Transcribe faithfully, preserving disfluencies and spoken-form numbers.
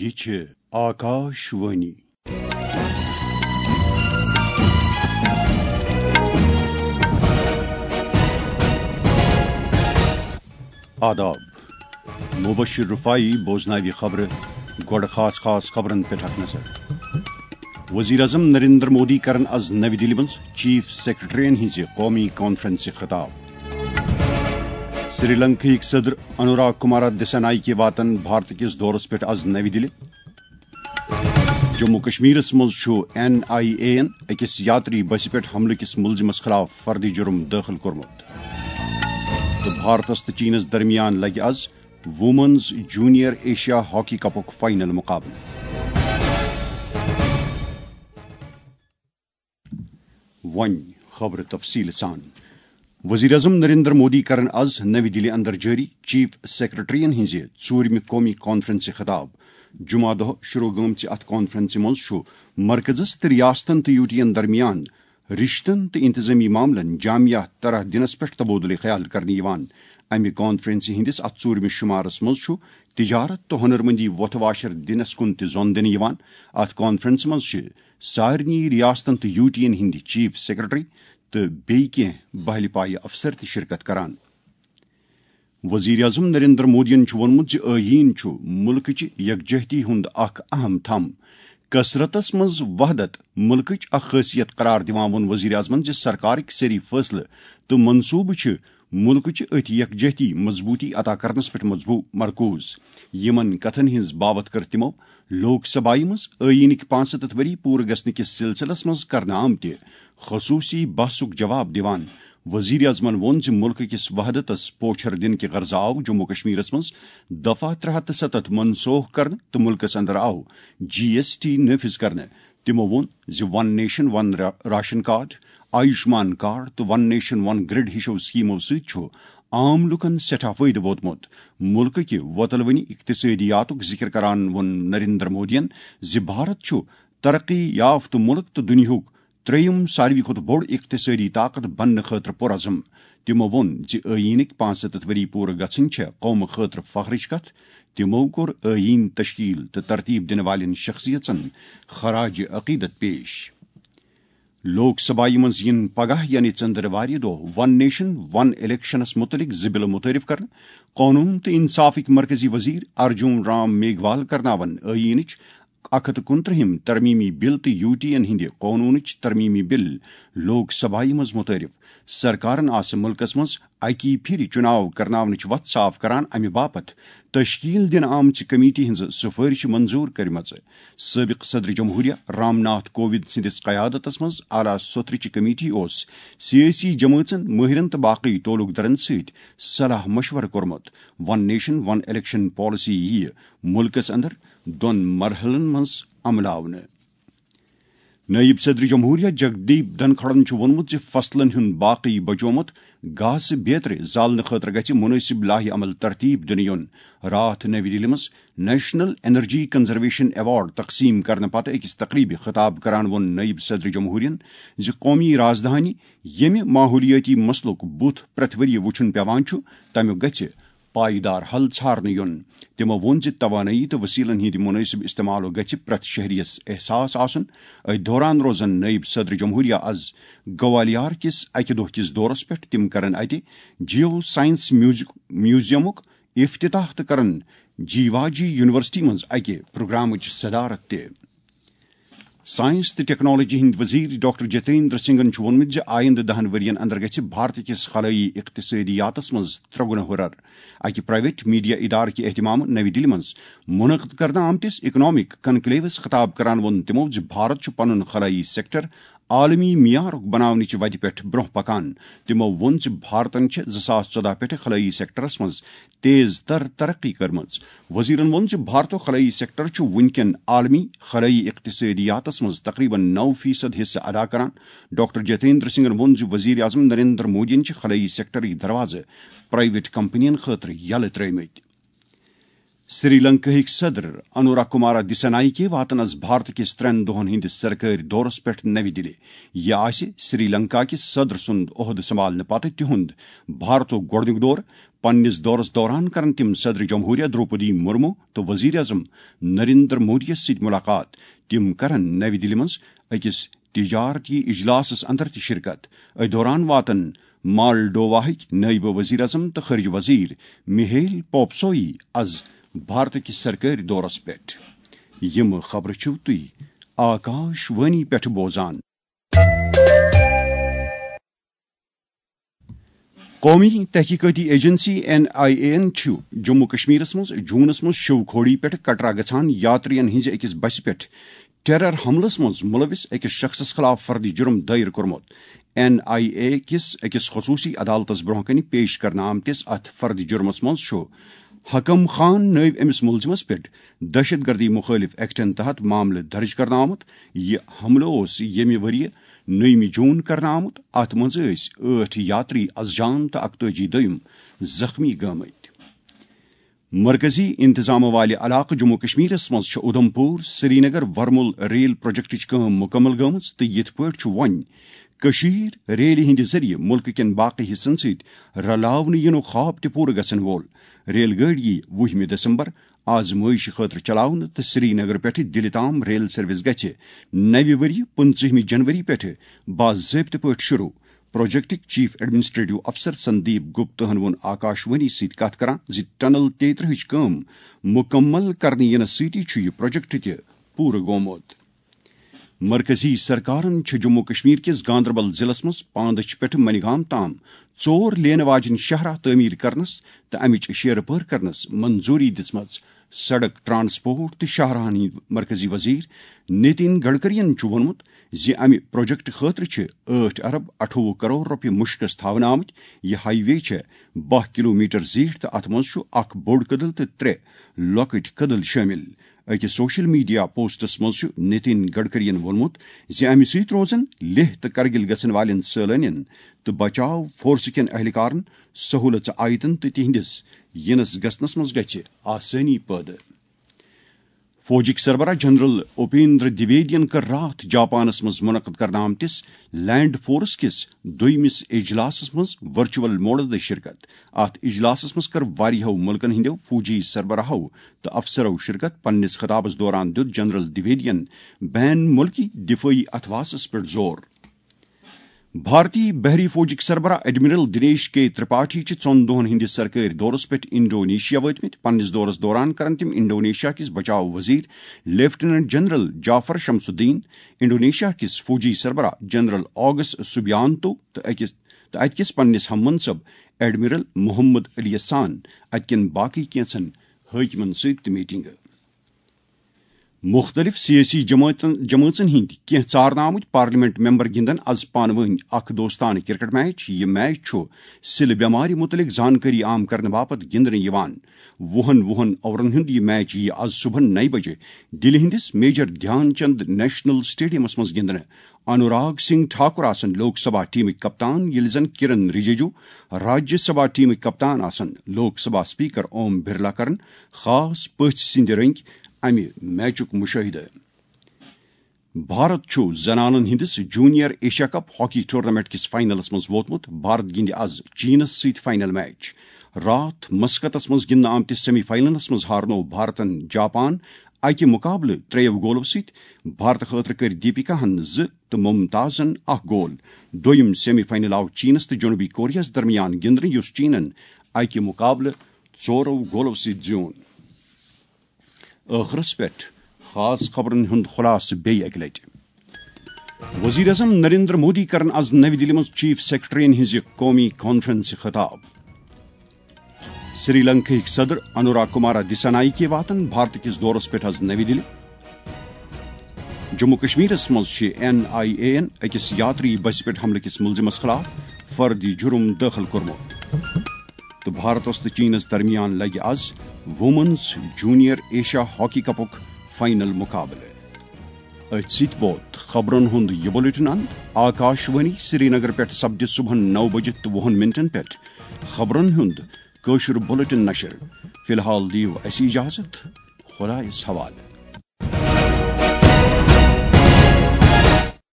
یہِ چھِ آکاش وانی۔ آداب۔ مبشر رفاعی بوزناوِ خبرٕ۔ گۄڈٕ خاص خاص خبرن پٮ۪ٹھ اکھ نظر۔ وزیر اعظم نریندر مودی کرن از نوِ دِلہِ منٛز چیف سیکرٹریَن ہٕنٛزِ قومی کانفرنسہِ خطاب۔ سری لنکاہٕکۍ صدر انوراگ کمارا دسانایکے واتن بھارت کِس دورس پٮ۪ٹھ از نوِ دِلہِ۔ جموں کشمیرس منٛز چھُ این آئی اے یَن أکِس یاتری بسہِ پٮ۪ٹھ حملہٕ کِس مُلزِمس خلاف فردی جُرم دٲخل کوٚرمُت۔ تہٕ بھارتس تہٕ چینس درمیان لگہِ از وومنز جونیئر ایشیا ہاکی کپُک فائنل مقابلہٕ۔ وۄنۍ خبرٕ تفصیٖل سان۔ وزیر اعظم نریندر مودی کرن از نوِ دِلہِ اندر جٲری چیف سیکرٹریَن ہٕنٛزِ ژوٗرمہِ قومی کانفرنسہِ خطاب۔ جمعہ دۄہ شروع گٔمژِ اتھ کانفرنسہِ منٛز چھُ مرکزس تہٕ ریاستن تہٕ یوٗٹین درمیان رشتن تہٕ انتظامی معاملن جامع طرح دِنس پٮ۪ٹھ تبادلہ خیال کرنہٕ یِوان۔ امہِ کانفرنسہِ ہٕنٛدِس اتھ ژوٗرمِس شُمارس منٛز چھُ تجارت تہٕ ہُنرمندی وۄتھٕ واشر دِنس کُن تہِ زۄن دِنہٕ یِوان۔ اتھ کانفرنسہِ منٛز چھِ سارنٕے ریاستن تہٕ یوٗٹین ہٕنٛدۍ چیف سیکرٹری تہٕ بیٚیہِ کینٛہہ بہلہِ پایہِ افسر تہِ شرکت کران۔ وزیر اعظم نریندر مودیَن چھُ ووٚنمُت زِ ٲییٖن چھُ مُلکٕچہِ یکجہتی ہُنٛد اکھ اہم تھم۔ کثرتس منٛز وحدت مُلکٕچ اکھ خٲصیت قرار دِوان ووٚن وزیر اعظمَن زِ سرکارٕکۍ سٲری فٲصلہٕ تہٕ منصوٗبہٕ چھِ مُلکٕچہِ أتھۍ یکجہتی مضبوٗطی عطا کرنس پٮ۪ٹھ مضبوٗ-، مرکوز۔ یِمن کتھن ہٕنٛز باوتھ کٔر تِمو لوک سبھایہ منٛز ٲییٖنٕکۍ پانٛژستتھ ؤری پوٗرٕ گژھنہٕ کِس سلسلس منٛز کرنہٕ آمتہِ خصوٗصی بحثُک جواب دِوان۔ وزیر اعظمن ووٚن زِ مُلکہٕ کِس وحدتس پوچھر دِنہٕ کہِ غرضہٕ آو جموں کشمیرس منٛز دفعہ ترٛےٚ ہتھ تہٕ ستتھ منسوخ کرنہٕ تہٕ مُلکس اندر آو جی ایس ٹی نافذ کرنہٕ۔ تِمو ووٚن زِ ون نیشن ون را-، راشن کارڈ، آیوشمان کارڈ تہٕ ون نیشن ون گرڈ ہِشو سکیمو سۭتۍ چھُ عام لوٗکَن سٮ۪ٹھاہ فٲیدٕ ووتمُت۔ مُلکہٕ کہِ وۄتلوٕنی اقتصٲدیاتُک ذِکِر کران ووٚن نریندر مودیَن زِ بھارت چھُ ترقی یافتہٕ مُلک تہٕ دُنیاہُک ترٛیٚیِم ساروی کھۄتہٕ بوٚڑ اقتصٲدی طاقت بننہٕ خٲطرٕ پُرعزم۔ تِمو ووٚن زِ ٲییٖنٕکۍ پانٛژستتھ ؤری پوٗرٕ گژھٕنۍ چھےٚ قومہٕ خٲطرٕ فخرٕچ کتھ۔ تِمو کوٚر ٲییٖن تشکیل تہٕ ترتیب دِنہٕ والٮ۪ن شخصیژن خراج عقیدت پیش۔ لوک سبھایہ منٛز یِن پگاہ یعنی ژٔنٛدٕروارِ دۄہ ون نیشن ون الیکشنس مُتعلق زٕ بِلہٕ مُتعارف کرنہٕ۔ قونوٗن تہٕ انصافٕکۍ مرکزی وزیر ارجُن رام میگھوال کرناون ٲییٖنٕچ اکھ ہتھ تہٕ کُنترٛہِم ترمیمی بل تہٕ یوٗٹین ہٕنٛدِ قونوٗنٕچ ترمیمی بل لوک سبھایہ منٛز مُتعارف۔ سرکارن آسہٕ مُلکس منٛز اکی پھِرِ چُناو کرناونٕچ وتھ صاف کران، امہِ باپتھ تشکیل دِنہٕ آمژِ کمیٹی ہٕنٛزٕ سفٲرشہِ منظوٗر کٔرمٕژ۔ سٲبق صدر جمہوریہ رام ناتھ کووند سٕنٛدِس قیادتس منٛز اعلیٰ سوترٕچہِ کمیٹی اوس سیٲسی جمٲژن، مٲہرن تہٕ باقٕے تعلق دارن سۭتۍ صلاح مشورٕ کوٚرمُت۔ ون نیشن ون الیکشن پالیسی یِیہِ مُلکس اندر دۄن مرحلن منٛز عملاونہٕ۔ نٲیِب صدر جمہوریہ جگدیپ دھنکھڑن چھُ ووٚنمُت زِ فصلن ہُنٛد باقٕے بچومُت گاسہٕ بیترِ زالنہٕ خٲطرٕ گژھِ مُنٲسِب لایحہ عمل ترتیب دِنہٕ یُن۔ راتھ نٔوِ دِلہِ منٛز نیشنل انرجی کنزرویشن ایوارڈ تقسیٖم کرنہٕ پتہٕ أکِس تقریٖبہِ خطاب کران ووٚن نٲیِب صدر جمہوریہن زِ قومی رازدھانی، ییٚمہِ ماحولیٲتی مسلُک بُتھ پرٛٮ۪تھ ؤرۍ یہِ وُچھُن پٮ۪وان چھُ، تَمیُک گژھِ پائیدار حل ژھارنہٕ یُن۔ تِمو ووٚن زِ توانٲیی تہٕ وسیلن ہٕنٛدِ مُنٲسِب استعمالُک گژھِ پرٛٮ۪تھ شہریَس احساس آسُن۔ أتھۍ دوران روزن نٲیِب صدر جمہوریہ از گوالیار کِس اکہِ دۄہ کِس دورس پٮ۪ٹھ۔ تِم کرن اتہِ جیو سائنس میوزک-، میوزیمُک افتتاح تہٕ کرن جیواجی یونیورسٹی منٛز اکہِ پروگرامٕچ صدارت تہِ۔ سائنس تہٕ ٹیکنالوجی ہٕنٛدۍ وزیر ڈاکٹر جتیندر سنگھن چھُ ووٚنمُت زِ آیندٕ دَہَن ؤرۍ یَن اندر گژھِ بھارت کِس خلٲیی اقتصٲدیاتس منٛز ترٛگنہٕ ہُرٮ۪ر۔ اکہِ پرائیویٹ میڈیا ادارٕ کہِ اہتمام نَوِ دِلہِ منٛز منعقد کرنہٕ آمتِس اکنامک کنکلیوس خطاب کران ووٚن تِمَو زِ بھارت چھُ پنُن خلٲیی سیکٹر عالمی معیارُک بناونٕچ وتہِ پٮ۪ٹھ برٛونٛہہ پکان۔ تِمَو ووٚن زِ بھارتن چھِ زٕ ساس ژۄداہ پٮ۪ٹھٕ خلٲیی سیکٹرس منٛز تیز تر ترقی کٔرمٕژ۔ وزیرن ووٚن زِ بھارتُک خلٲیی سیکٹر چھُ وُنکٮ۪ن عالمی خلٲیی اقتصٲدیاتس منٛز تقریباً نَو فیصد حصہٕ ادا کران۔ ڈاکٹر جتیندر سنگھن ووٚن زِ وزیر اعظم نریندر مودیَن چھِ خلٲیی سیکٹرٕکۍ دروازٕ پرائیویٹ کمپنین خٲطرٕ یلہٕ ترٲومٕتۍ۔ سری لنکاہٕکۍ صدر انورا کمارا دسانایکے واتن از بھارت کِس ترٛٮ۪ن دۄہن ہٕنٛدِس سرکٲرۍ دورس پٮ۪ٹھ نَوِ دِلہِ۔ یہِ آسہِ سری لنکا کِس صدر سُنٛد عہدٕ سنبھالنہٕ پتہٕ تِہُنٛد بھارتُک گۄڈٕنیُک دورٕ۔ پننِس دورس دوران کرن تِم صدر جمہوریہ درٛوپدی مرمو تہٕ وزیر اعظم نریندر مودی یس سۭتۍ ملاقات۔ تِم کرن نَوِ دِلہِ منٛز أکِس تجارتی اجلاسس اندر تہِ شرکت۔ أتھۍ دوران واتن مالڈوواہٕکۍ نٲیِب وزیر اعظم تہٕ خارجہ وزیر میہیل پوپسوئی از بھارت کِس سرکٲرۍ دورس پٮ۪ٹھ۔ یِم خبرٕ چھِو تُہۍ آکاش وانی پٮ۪ٹھ بوزان۔ قومی تحقیقاتی ایجنسی این آئی اے یَن چھُ جموں کشمیرس منٛز جوٗنس منٛز شیو کھوڑی پٮ۪ٹھ کٹرا گژھان یاترین ہٕنٛزِ أکِس بسہِ پٮ۪ٹھ ٹیرر حملس منٛز ملوث أکِس شخصس خلاف فرد جرم دٲیر کوٚرمُت۔ این آئی اے کِس أکِس خصوٗصی عدالتس برٛونٛہہ کنہِ پیش کرنہٕ آمتِس اتھ فرد جرمس منٛز چھُ حکم خان نٲوۍ أمِس مُلزِمس پٮ۪ٹھ دہشت گردی مخٲلف ایکٹن تحت معاملہٕ درج کرنہٕ آمُت۔ یہِ حملہٕ اوس ییٚمہِ ؤریہِ نٔیمہِ جوٗن کرنہٕ آمُت۔ اتھ منٛز ٲسۍ ٲٹھ یاتری از جان تہٕ اکتٲجی دوٚیِم زخمی گٲمٕتۍ۔ مرکزی انتظام والہِ علاقہٕ جموں کشمیرس منٛز چھِ اُدھمپور سرینگر ورمُل ریل پروجیکٹٕچ کٲم مُکمل گٔمٕژ تہٕ یِتھ پٲٹھۍ چھُ وۄنۍ کٔشیٖر ریلہِ ہٕنٛدِ ذٔریعہٕ مُلکہٕ کٮ۪ن باقٕے حصن سۭتۍ رلاونہٕ یِنُک خواب تہِ پوٗرٕ گژھن وول۔ ریل گٲڑۍ یِیہِ وُہمہِ دسمبر آزمٲیشہِ خٲطرٕ چلاونہٕ تہٕ سرینگر پٮ۪ٹھٕ دِلہِ تام ریل سروس گژھِ نَوِ ؤرۍ پٕنٛژٕہمہِ جنوری پٮ۪ٹھٕ باضٲبطہٕ پٲٹھۍ شروع۔ پروجیکٹٕکۍ چیف ایڈمنسٹریٹو افسر سندیپ گپتہن ووٚن آکاش وانی سۭتۍ کتھ کران زِ ٹنل تیترٕہٕچ کٲم مُکمل کرنہٕ یِنہٕ سۭتی چھُ یہِ پروجیکٹ تہِ پوٗرٕ گوٚمُت۔ مرکزی سرکارن چھِ جموں کشمیر کِس گاندربل ضلعس منٛز پاندچھ پٮ۪ٹھٕ منیگام تام ژور لینہٕ واجٮ۪ن شاہراہ تعمیٖر کرنس تہٕ امِچ شیرٕ پٲر کرنس منظوٗری دِژمٕژ۔ سڑک، ٹرانسپورٹ تہٕ شاہراہن ہٕنٛدۍ مرکزی وزیر نتن گڈکرین چھُ ووٚنمُت زِ امہِ پروجیکٹ خٲطرٕ چھِ ٲٹھ ارب اٹھووُہ کرور رۄپیہِ مُشکس تھاونہٕ آمٕتۍ۔ یہِ ہائی وے چھےٚ باہ کلومیٹر زیٖٹھ تہٕ اتھ منٛز چھُ اکھ بوٚڑ کدل تہٕ ترٛےٚ لۄکٕٹۍ کدل شٲمِل۔ أکِس سوشل میڈیا پوسٹس منٛز چھُ نتن گڈکرین ووٚنمُت زِ امہِ سۭتۍ روزن لیہہ تہٕ کرگِل گژھن والٮ۪ن سٲلٲنٮ۪ن تہٕ بچاو فورسہٕ کٮ۪ن اہلکارن سہوٗلژٕ آیتن تہٕ تِہنٛدِس یِنس گژھنس منٛز گژھِ آسٲنی پٲدٕ۔ فوجٕکۍ سربراہ جنرل اپیندر دویدین کٔر راتھ جاپانس منٛز منعقد کرنہٕ آمتِس لینڈ فورس کِس دوٚیمِس اجلاسس منٛز ورچوئل موڈس دٔسۍ شرکت۔ اتھ اجلاسس منٛز کٔر واریاہو مُلکن ہٕنٛدیو فوجی سربراہو تہٕ افسرو شرکت۔ پننِس خطابس دوران دِیُت جنرل دویدین بین مُلکی دفٲعی اتھواسس پٮ۪ٹھ زور۔ بھارتی بحری فوجٕکۍ سربراہ ایڈمرل دنیش کے ترپاٹھی چھِ ژۄن دۄہن ہٕنٛدِس سرکٲرۍ دورس پٮ۪ٹھ انڈونیشیا وٲتمٕتۍ۔ پننِس دورس دوران کرن تِم انڈونیشیا کِس بچاو وزیر لیفٹیننٹ جنرل جعفر شمس الدین، انڈونیشیا کِس فوجی سربراہ جنرل آگس سوبیانتو تہٕ أکِس، تہٕ اتہِ کِس پننِس ہم منصب ایڈمرل محمد علی یَس سان اتہِ کٮ۪ن باقٕے کینٛژن حٲکمن سۭتۍ تہِ میٹنگ۔ مُختٔلِف سیٲسی جمٲعتن، جمٲژن ہٕنٛدۍ کینٛہہ ژارنہٕ آمٕتۍ پارلیمنٹ ممبر گِنٛدن از پانہٕ وٲنۍ اکھ دوستانہٕ کرکٹ میچ۔ یہِ میچ چھُ سِلہٕ بٮ۪مارِ مُتعلق زانکٲری عام کرنہٕ باپتھ گِنٛدنہٕ یِوان۔ وُہن وُہن اورن ہُنٛد یہِ میچ یِیہِ از صبحن نَیہِ بجہِ دِلہِ ہٕنٛدِس میجر دھیان چند نیشنل سٹیڈیمس منٛز گِنٛدنہٕ۔ انوراگ سنگھ ٹھاکر آسن لوک سبھا ٹیمٕکۍ کپتان، ییٚلہِ زن کرن رجیجو راجیہ سبھا ٹیمٕکۍ کپتان آسن۔ لوک سبھا اسپیکر اوم برلا کرن خاص پٔژھۍ سٕنٛدِ رٔنگۍ امہِ میچُک مُشٲہدٕ۔ بھارت چھُ زنانن ہٕنٛدِس junior Asia cup hockey tournament کِس فائنلس منٛز ووتمُت۔ بھارت گِنٛدِ از چینس سۭتۍ فائنل میچ۔ راتھ مسقطس منٛز گِنٛدنہٕ آمتِس سیمی فائنلس منٛز ہارنوو بھارتن جاپان اکہِ مقابلہٕ ترٛیٚیو گولو سۭتۍ۔ بھارتہٕ خٲطرٕ کٔرۍ دیپیکاہن زٕ تہٕ ممتازن اکھ گول۔ دوٚیِم سیمی فائنل آو چینس تہٕ جنوبی کوریاہس درمیان گِنٛدنہٕ، یُس چینن اکہِ مقابلہٕ ژورو گولو سۭتۍ زیوٗن۔ ٲخرس پٮ۪ٹھ خاص خبرن ہُنٛد خلاصہٕ بیٚیہِ اکہِ لٹہِ۔ وزیر اعظم نریندر مودی کرن از نَوِ دِلہِ منٛز چیف سیکرٹرین ہٕنٛزِ قومی کانفرنسہِ خطاب۔ سری لنکاہٕکۍ صدر انوراگ کمارا دسانایکے واتن بھارت کِس دورس پٮ۪ٹھ از نَوِ دِلہِ۔ جموں کشمیرس منٛز چھِ این آئی اے یَن أکِس یاتری بسہِ پٮ۪ٹھ حملہٕ کِس مُلزِمس خلاف فردی جُرُم دٲخل کوٚرمُت۔ تہٕ بھارتس تہٕ چینس درمیان لگہِ از وومنز جونیئر ایشیا ہاکی کپُک فائنل مقابلہٕ۔ أتھۍ سۭتۍ ووت خبرن ہُنٛد یہِ بلیٹن اند۔ آکاش وانی سرینگر پٮ۪ٹھ سپدِ صبحن نَو بجہِ تہٕ وُہن منٹن پٮ۪ٹھ خبرن ہُنٛد کٲشُر بلیٹن نشر۔ فی الحال دِیِو اَسہِ اجازت۔ خدایس حوالہٕ۔